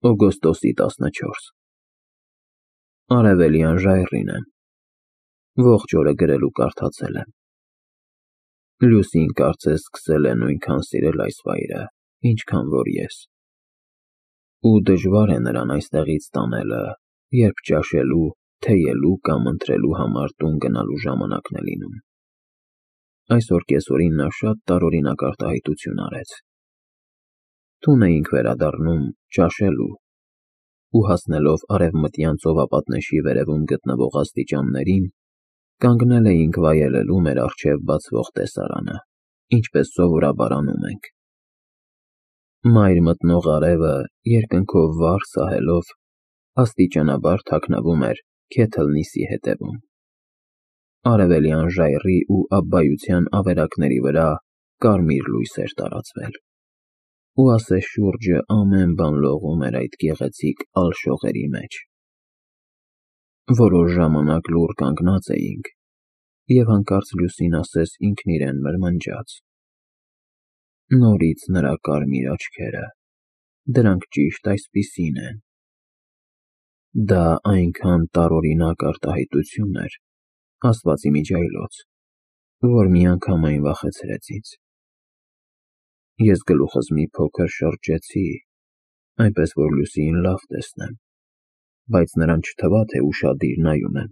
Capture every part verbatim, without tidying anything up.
օգոստոսի տասնչորս Արևելյան ժայռին եմ, ողջ օրը գրել ու կարդացել եմ։ Լուսին կարծես սկսել է նույնքան սիրել այս վայրը, ինչքան որ ես։ Ու դժվար է նրան այստեղից տանելը, երբ ճաշելու, թեյելու կամ ընթրելու համար տուն գնալու ժամանակն է լինում։ Այսօր կեսօրին նա շատ տարօրինակ արտահայտություն արեց։ Տուն էինք վերադառնում ճաշելու, ու հասնելով արևմտյան ծովապատնեշի վերևում գտնվող աստիճաններին, կանգնել էինք վայելելու մեր առջև բացվող տեսարանը, ինչպես սովորաբար անում ենք։ Մայր մտնող արևը երկնքով վար սահելով, աստիճանաբար թաքնվում էր Քեթլնիսի հետևում։ Արևելյան ժայռի ու աբբայության ավերակների վրա կարմիր լույս էր տարածվել, ու ասես շուրջը ամեն բան լողում էր այդ գեղեցիկ ալշողերի մեջ։ Որոշ ժամանակ լուռ կանգնած էինք, և հանկարծ Լուսին ասես ինքն իրեն մրմնջաց. «Նորից նրա կարմիր աչքերը, դրանք ճիշտ այսպիսին են»։ Դա այնքան տարօրինակ արտահայտություն էր, ասվածի միջայլոց, որ միանգամայն վախեցրեց ինձ։ Ես գլուխս մի փոքր շրջեցի, այնպես որ Լուսիին լավ տեսնեմ, բայց նրան չթվա, թե ուշադիր նայում եմ,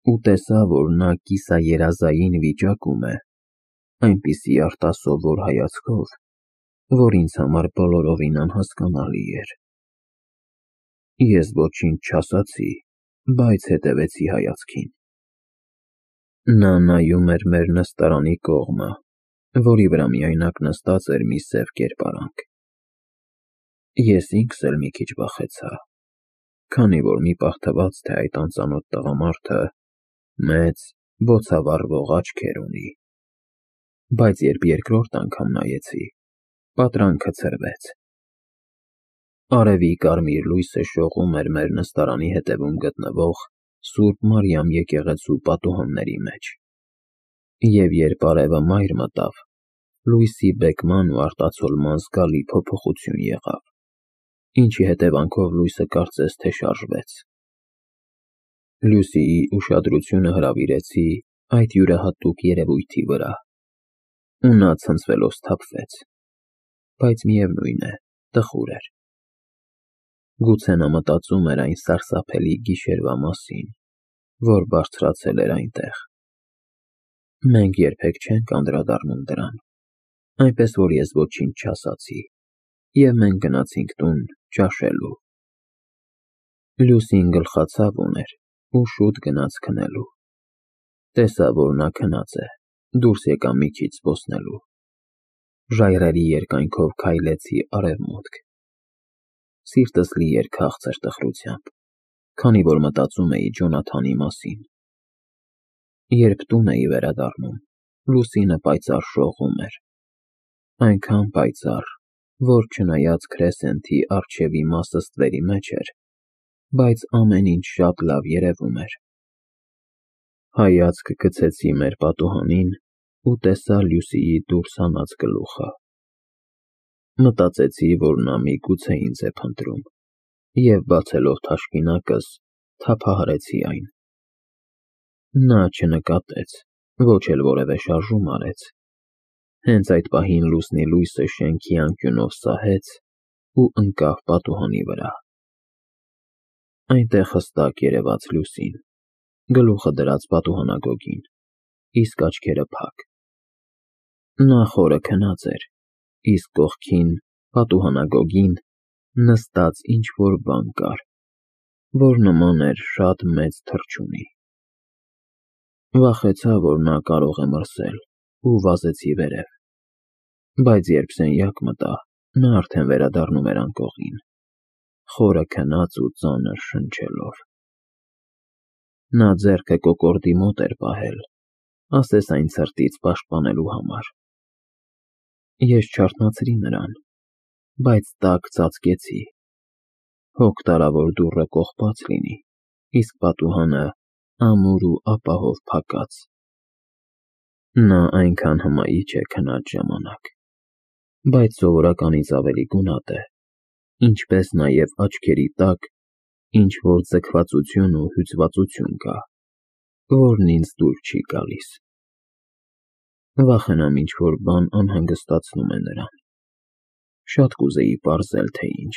ու տեսա, որ նա կիսաերազային վիճակում է, այնպիսի արտասովոր հայացքով, որ ինձ համար բոլորովին անհասկանալի էր։ Ես ոչինչ չասացի, բայց հետևեցի հայացքին։ Նա նայում էր մեր նստարանի կողմը, որի վրա միայնակ նստած էր մի սև կերպարանք։ Ես ինքս էլ մի քիչ վախեցա, քանի որ մի պահ թվաց, թե այդ անծանոթ տղամարդը մեծ, բոցավառվող աչքեր ունի, բայց երբ երկրորդ անգամ նայեցի, պատրանքը ցրվեց։ Արևի կարմիր լույսը շողում էր մեր նստարանի հետևում գտնվող Սուրբ Մարիամ եկեղեցու պատուհանների մեջ, և երբ արևը մայր մտավ, լույսի բեկման ու արտացոլման զգալի փոփոխություն եղավ, ինչի հետևանքով լույսը կարծես թե շարժվեց։ Լուսիի ուշադրությունը հրավիրեցի այդ յուրահատուկ երևույթի վրա, ու նա ցնցվելով սթափվեց, բայց միևնույն է, տխուր էր։ Գուցե նա մտածում էր այն սարսափելի գիշերվա մասին, որ բարձրացել էր այնտեղ։ Մենք երբեք չենք անդրադառնում դրան, այնպես որ ես ոչինչ չասացի, և մենք գնացինք տուն ճաշելու։ Լուսին գլխացավ ուներ ու շուտ գնաց քնելու։ Տեսա, որ նա քնած է, դուրս եկա մի քիչ զբոսնելու։ Ժայռերի երկայնքով քայլեցի արևմուտք։ Սիրտս լի էր քաղցր տխրությամբ, քանի որ մտածում էի Ջոնաթանի մասին։ Երբ տուն էի վերադառնում, լուսինը պայծառ շողում էր, այնքան պայծառ, որ չնայած քրեսենթի առջևի մասը ստվերի մեջ էր, բայց ամեն ինչ շատ լավ երևում էր։ Հայացք գցեցի մեր պատուհանին ու տեսա Լուսիի դուրս հանած գլուխը։ Մտածեցի, որ նա միգուցե ինձ է փնտրում, և բացելով թաշկինակս, թափահարեցի այն։ Նա չնկատեց, ոչ էլ որևէ շարժում արեց։ Հենց այդ պահին լուսնի լույսը շենքի անկյունով սահեց ու ընկավ պատուհանի վրա։ Այնտեղ հստակ երևաց Լուսին, գլուխը դրած պատուհանագոգին, իսկ աչքերը փակ։ Նա խորը քնած էր, իսկ կողքին, պատուհանագոգին, նստած ինչ-որ բան կար, որ նման էր շատ մեծ թռչունի։ Վախեցա, որ նա կարող է մրսել, ու վազեցի վերև, բայց երբ սենյակ մտա, նա արդեն վերադառնում էր անկողին, խորը քնած ու ծանր շնչելով։ Նա ձեռքը կոկորդի մոտ էր պահել, ասես այն ցրտից պաշտպանելու համար։ Ես չարթնացրի նրան, բայց տաք ծածկեցի, հոգ տարա, որ դուռը կողպած լինի, իսկ պատուհանը ամուր ու ապահով փակած։ Նա այնքան հմայիչ է քնած ժամանակ, բայց սովորականից ավելի գունատ է, Ինչպես նաև աչքերի տակ ինչ-որ ձգվածություն ու հյուծվածություն կա, որն ինձ դուր չի գալիս։ Վախենամ ինչ֊որ բան անհանգստացնում է նրան։ Շատ կուզեի պարզել, թե ինչ։